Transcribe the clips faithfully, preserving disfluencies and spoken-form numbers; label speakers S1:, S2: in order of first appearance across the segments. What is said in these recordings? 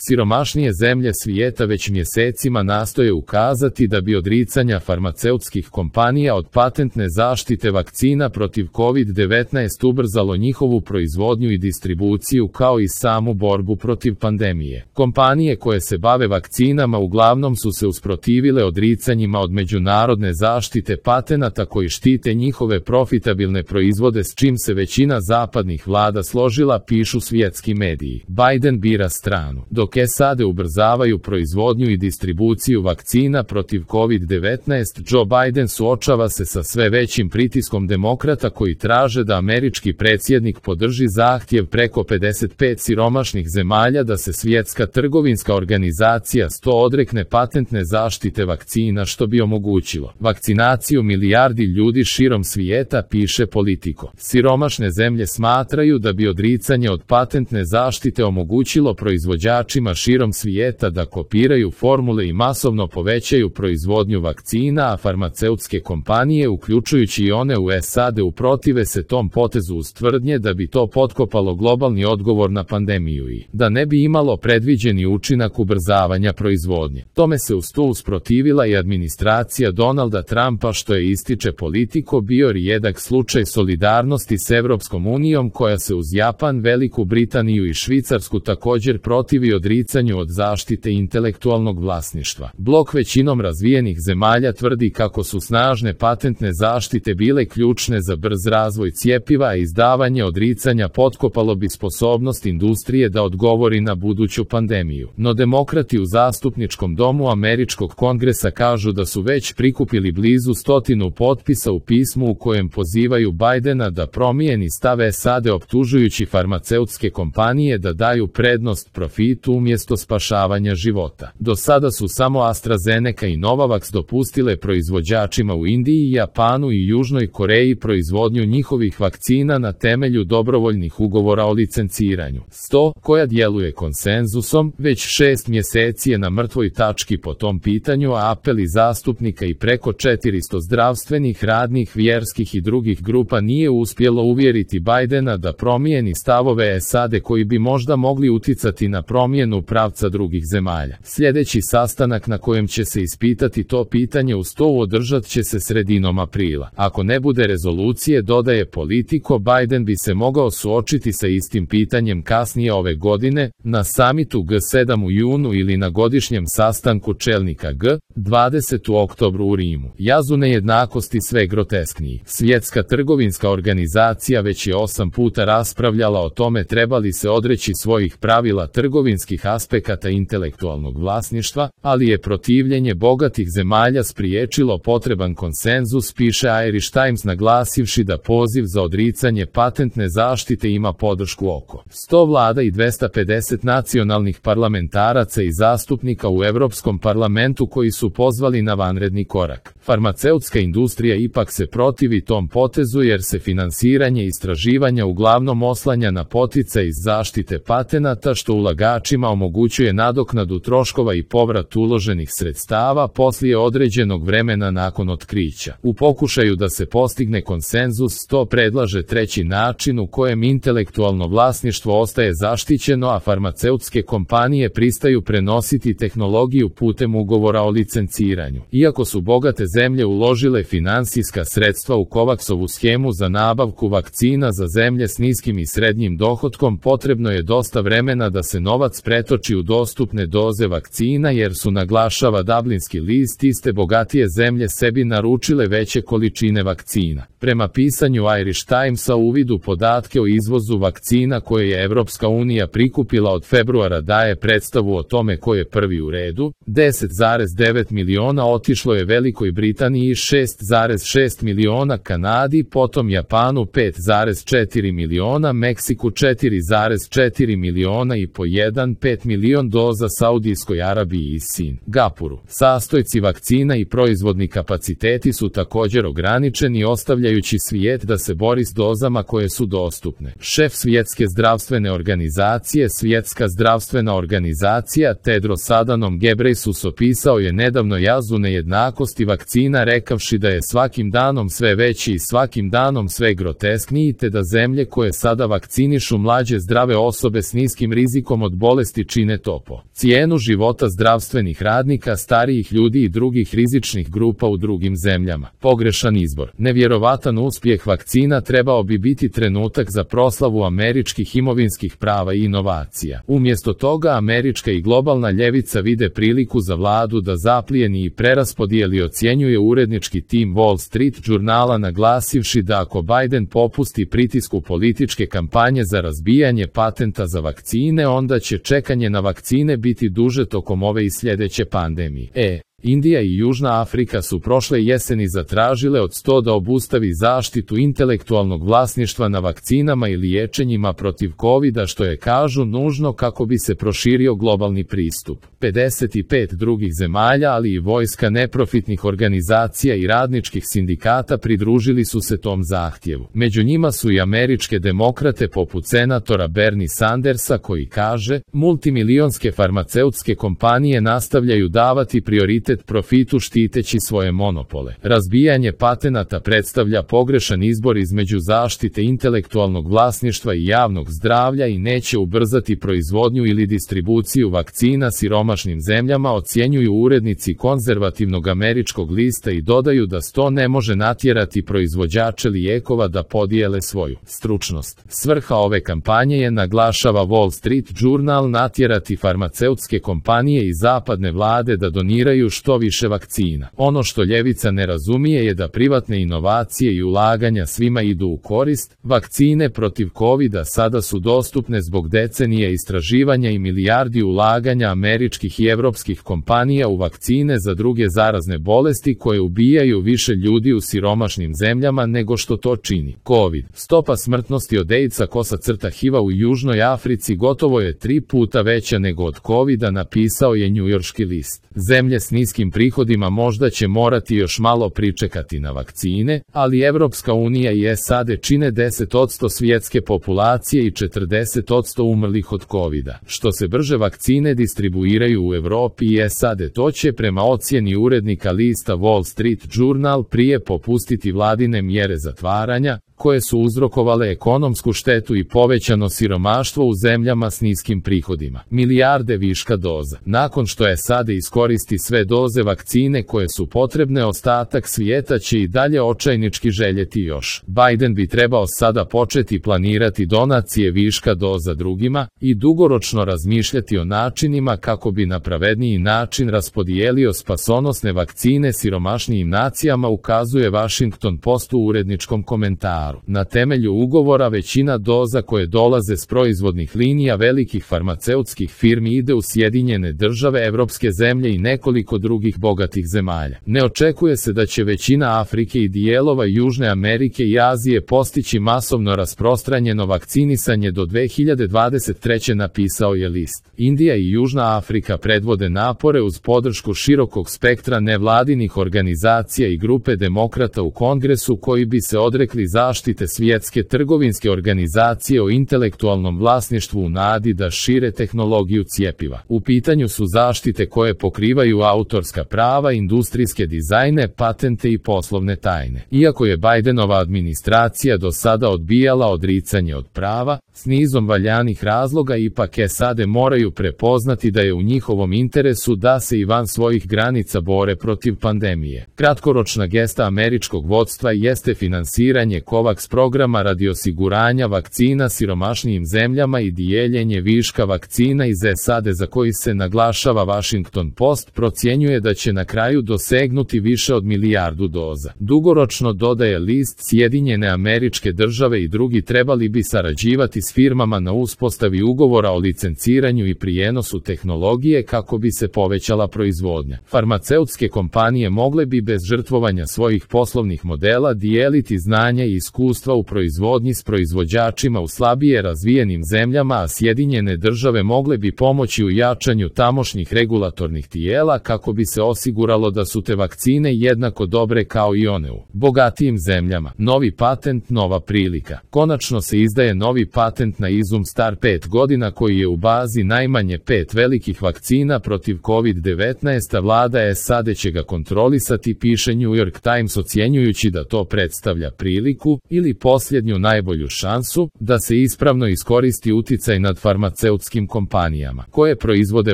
S1: Siromašnije zemlje svijeta već mjesecima nastoje ukazati da bi odricanja farmaceutskih kompanija od patentne zaštite vakcina protiv kovid devetnaest ubrzalo njihovu proizvodnju i distribuciju kao i samu borbu protiv pandemije. Kompanije koje se bave vakcinama uglavnom su se usprotivile odricanjima od međunarodne zaštite patenata koji štite njihove profitabilne proizvode, s čim se većina zapadnih vlada složila, pišu svjetski mediji. Biden bira stranu. Dok S A D ubrzavaju proizvodnju i distribuciju vakcina protiv kovid devetnaest, Joe Biden suočava se sa sve većim pritiskom demokrata koji traže da američki predsjednik podrži zahtjev preko pedeset pet siromašnih zemalja da se Svjetska trgovinska organizacija sto odrekne patentne zaštite vakcina, što bi omogućilo vakcinaciju milijardi ljudi širom svijeta, piše Politico. Siromašne zemlje smatraju da bi odricanje od patentne zaštite omogućilo proizvođačima širom svijeta da kopiraju formule i masovno povećaju proizvodnju vakcina, a farmaceutske kompanije, uključujući i one u S A D, uprotive se tom potezu uz tvrdnje da bi to potkopalo globalni odgovor na pandemiju i da ne bi imalo predviđeni učinak ubrzavanja proizvodnje. Tome se uz to usprotivila i administracija Donalda Trumpa, što je, ističe Politico, bio rijedak slučaj solidarnosti s Europskom unijom, koja se uz Japan, Veliku Britaniju i Švicarsku također protivi odricanju od zaštite intelektualnog vlasništva. Blok većinom razvijenih zemalja tvrdi kako su snažne patentne zaštite bile ključne za brz razvoj cjepiva, a izdavanje odricanja potkopalo bi sposobnost industrije da odgovori na buduću pandemiju. No demokrati u zastupničkom domu američkog kongresa kažu da su već prikupili blizu stotinu potpisa u pismu u kojem pozivaju Bidena da promijeni stav S A D, optužujući farmaceutske kompanije da daju prednost profitu umjesto spašavanja života. Do sada su samo AstraZeneca i Novavax dopustile proizvođačima u Indiji, Japanu i Južnoj Koreji proizvodnju njihovih vakcina na temelju dobrovoljnih ugovora o licenciranju. sto, koja djeluje konsenzusom, već šest mjeseci je na mrtvoj tački po tom pitanju, a apeli zastupnika i preko četiristo zdravstvenih, radnih, vjerskih i drugih grupa nije uspjelo uvjeriti Bidena da promijeni stavove S A D koji bi možda mogli uticati na promjenu pravca drugih zemalja. Sljedeći sastanak na kojem će se ispitati to pitanje u sto održat će se sredinom aprila. Ako ne bude rezolucije, dodaje Politico, Biden bi se mogao suočiti sa istim pitanjem kasnije ove godine, na samitu G sedam u junu ili na godišnjem sastanku čelnika G dvadeset u oktobru u Rimu. Jaz u nejednakosti sve groteskniji. Svjetska trgovinska organizacija već je osam puta raspravljala o tome treba li se odreći svojih pravila trgovinskih aspekata intelektualnog vlasništva, ali je protivljenje bogatih zemalja spriječilo potreban konsenzus, piše Irish Times, naglasivši da poziv za odricanje patentne zaštite ima podršku oko sto vlada i dvesta pedeset nacionalnih parlamentaraca i zastupnika u Europskom parlamentu koji su pozvali na vanredni korak. Farmaceutska industrija ipak se protivi tom potezu jer se finansiranje istraživanja uglavnom oslanja na poticaj iz zaštite patenata, što ulagačima omogućuje nadoknadu troškova i povrat uloženih sredstava poslije određenog vremena nakon otkrića. U pokušaju da se postigne konsenzus, to predlaže treći način u kojem intelektualno vlasništvo ostaje zaštićeno, a farmaceutske kompanije pristaju prenositi tehnologiju putem ugovora o licenciranju. Iako su bogate zemlje uložile financijska sredstva u Covaxovu schemu za nabavku vakcina za zemlje s niskim i srednjim dohotkom, potrebno je dosta vremena da se novac pretoči u dostupne doze vakcina, jer su, naglašava Dublinski list, iste bogatije zemlje sebi naručile veće količine vakcina. Prema pisanju Irish Timesa, uvid u podatke o izvozu vakcina koje je Europska unija prikupila od februara daje predstavu o tome ko je prvi u redu. deset zarez devet miliona otišlo je Velikoj Britaniji, šest zarez šest miliona Kanadi, potom Japanu pet zarez četiri miliona, Meksiku četiri zarez četiri miliona i po jedan zarez pet milion doza Saudijskoj Arabiji i Singapuru. Sastojci vakcina i proizvodni kapaciteti su također ograničeni, ostavljajući svijet da se bori s dozama koje su dostupne. Šef Svjetske zdravstvene organizacije, Svjetska zdravstvena organizacija, Tedros Adhanom Ghebreyesus, opisao je nedavno jaz u nejednakosti vakcina vakcina rekavši da je svakim danom sve veći i svakim danom sve groteskniji te da zemlje koje sada vakcinišu mlađe zdrave osobe s niskim rizikom od bolesti čine to po cijenu života zdravstvenih radnika, starijih ljudi i drugih rizičnih grupa u drugim zemljama. Pogrešan izbor. Nevjerovatan uspjeh vakcina trebao bi biti trenutak za proslavu američkih imovinskih prava i inovacija. Umjesto toga američka i globalna ljevica vide priliku za vladu da zaplijeni i preraspodijeli, ocjenjuje urednički tim Wall Street žurnala, naglasivši da ako Biden popusti pritisku političke kampanje za razbijanje patenta za vakcine, onda će čekanje na vakcine biti duže tokom ove i sljedeće pandemije. E. Indija i Južna Afrika su prošle jeseni zatražile od sto da obustavi zaštitu intelektualnog vlasništva na vakcinama i liječenjima protiv kovida, što je, kažu, nužno kako bi se proširio globalni pristup. pedeset pet drugih zemalja, ali i vojska neprofitnih organizacija i radničkih sindikata pridružili su se tom zahtjevu. Među njima su i američke demokrate poput senatora Bernie Sandersa koji kaže, multimilionske farmaceutske kompanije nastavljaju davati prioritet profitu štiteći svoje monopole. Razbijanje patenata predstavlja pogrešan izbor između zaštite intelektualnog vlasništva i javnog zdravlja i neće ubrzati proizvodnju ili distribuciju vakcina siromašnim zemljama, ocjenjuju urednici konzervativnog američkog lista i dodaju da sto ne može natjerati proizvođače lijekova da podijele svoju stručnost. Svrha ove kampanje je, naglašava Wall Street Journal, natjerati farmaceutske kompanije i zapadne vlade da doniraju što više vakcina. Ono što ljevica ne razumije je da privatne inovacije i ulaganja svima idu u korist. Vakcine protiv kovida sada su dostupne zbog decenije istraživanja i milijardi ulaganja američkih i evropskih kompanija u vakcine za druge zarazne bolesti koje ubijaju više ljudi u siromašnim zemljama nego što to čini COVID. Stopa smrtnosti od AIDS-a kosa crta H I V-a u Južnoj Africi gotovo je tri puta veća nego od kovida, napisao je njujorški list. Zemlje s niskim prihodima možda će morati još malo pričekati na vakcine, ali Evropska unija i S A D čine deset posto svjetske populacije i četrdeset posto umrlih od kovida. Što se brže vakcine distribuiraju u Europi i S A D, to će, prema ocjeni urednika lista Wall Street Journal, prije popustiti vladine mjere zatvaranja, koje su uzrokovale ekonomsku štetu i povećano siromaštvo u zemljama s niskim prihodima. Milijarde viška doza. Nakon što S A D iskoristi sve doze vakcine koje su potrebne, ostatak svijeta će i dalje očajnički željeti još. Biden bi trebao sada početi planirati donacije viška doza drugima i dugoročno razmišljati o načinima kako bi na pravedniji način raspodijelio spasonosne vakcine siromašnijim nacijama, ukazuje Washington Post u uredničkom komentaru. Na temelju ugovora većina doza koje dolaze s proizvodnih linija velikih farmaceutskih firmi ide u Sjedinjene Države, evropske zemlje i nekoliko drugih bogatih zemalja. Ne očekuje se da će većina Afrike i dijelova Južne Amerike i Azije postići masovno rasprostranjeno vakcinisanje do dve hiljade dvadeset treće, napisao je list. Indija i Južna Afrika predvode napore uz podršku širokog spektra nevladinih organizacija i grupe demokrata u Kongresu koji bi se odrekli zaštite svjetske trgovinske organizacije o intelektualnom vlasništvu u nadi da šire tehnologiju cjepiva. U pitanju su zaštite koje pokrivaju autorska prava, industrijske dizajne, patente i poslovne tajne. Iako je Bidenova administracija do sada odbijala odricanje od prava, s nizom valjanih razloga ipak S A D moraju prepoznati da je u njihovom interesu da se i van svojih granica bore protiv pandemije. Kratkoročna gesta američkog vodstva jeste finansiranje COVAX programa radi osiguranja vakcina siromašnijim zemljama i dijeljenje viška vakcina iz S A D, za koji se, naglašava Washington Post, procjenjuje da će na kraju dosegnuti više od milijardu doza. Dugoročno, dodaje list, Sjedinjene Američke Države i drugi trebali bi sarađivati s firmama na uspostavi ugovora o licenciranju i prijenosu tehnologije kako bi se povećala proizvodnja. Farmaceutske kompanije mogle bi bez žrtvovanja svojih poslovnih modela dijeliti znanje i iskustva iskustva u proizvodnji s proizvođačima u slabije razvijenim zemljama, a Sjedinjene države mogle bi pomoći u jačanju tamošnjih regulatornih tijela kako bi se osiguralo da su te vakcine jednako dobre kao i one u bogatijim zemljama. Novi patent, nova prilika. Konačno se izdaje novi patent na izum star pet godina koji je u bazi najmanje pet velikih vakcina protiv kovid devetnaest, a vlada S A D će ga kontrolisati, piše New York Times, ocjenjujući da to predstavlja priliku ili posljednju najbolju šansu da se ispravno iskoristi uticaj nad farmaceutskim kompanijama koje proizvode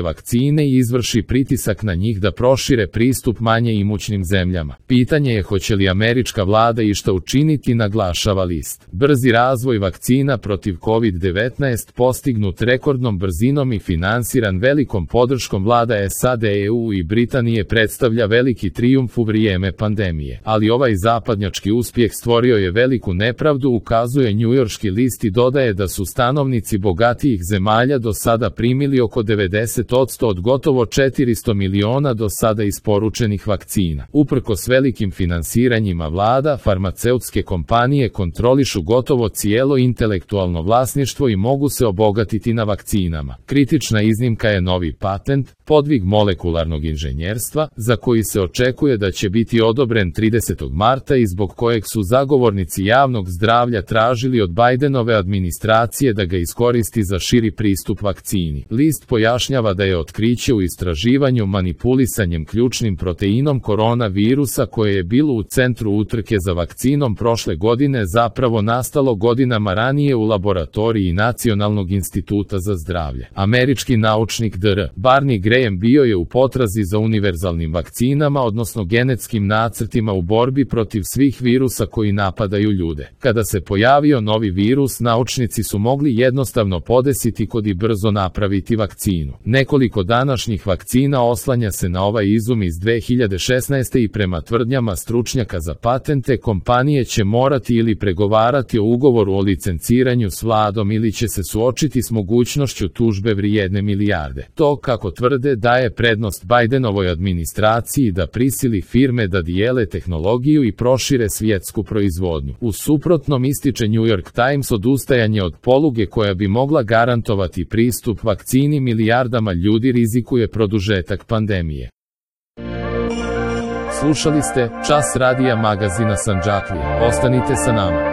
S1: vakcine i izvrši pritisak na njih da prošire pristup manje imućnim zemljama. Pitanje je hoće li američka vlada išta učiniti, naglašava list. Brzi razvoj vakcina protiv kovid devetnaest postignut rekordnom brzinom i finansiran velikom podrškom vlada S A D, E U i Britanije predstavlja veliki trijumf u vrijeme pandemije. Ali ovaj zapadnjački uspjeh stvorio je veliku nepravdu, ukazuje njujorški list i dodaje da su stanovnici bogatijih zemalja do sada primili oko devedeset posto od gotovo četiristo miliona do sada isporučenih vakcina. Uprkos velikim finansiranjima vlada, farmaceutske kompanije kontrolišu gotovo cijelo intelektualno vlasništvo i mogu se obogatiti na vakcinama. Kritična iznimka je novi patent, podvig molekularnog inženjerstva, za koji se očekuje da će biti odobren tridesetog marta i zbog kojeg su zagovornici javnog zdravlja tražili od Bidenove administracije da ga iskoristi za širi pristup vakcini. List pojašnjava da je otkriće u istraživanju manipulisanjem ključnim proteinom koronavirusa koje je bilo u centru utrke za vakcinom prošle godine zapravo nastalo godinama ranije u laboratoriji Nacionalnog instituta za zdravlje. Američki naučnik dr Barney Graham bio je u potrazi za univerzalnim vakcinama, odnosno genetskim nacrtima u borbi protiv svih virusa koji napadaju ljude. Kada se pojavio novi virus, naučnici su mogli jednostavno podesiti kod i brzo napraviti vakcinu. Nekoliko današnjih vakcina oslanja se na ovaj izum iz dve hiljade šesnaeste. i prema tvrdnjama stručnjaka za patente, kompanije će morati ili pregovarati o ugovoru o licenciranju s vladom ili će se suočiti s mogućnošću tužbe vrijedne milijarde. To, kako tvrde, daje prednost Bidenovoj administraciji da prisili firme da dijele tehnologiju i prošire svjetsku proizvodnju. U suprotnom, ističe New York Times, odustajanje od poluge koja bi mogla garantovati pristup vakcini milijardama ljudi rizikuje produžetak pandemije. Slušali ste Čas radija magazina Sandžaklija. Ostanite sa nama.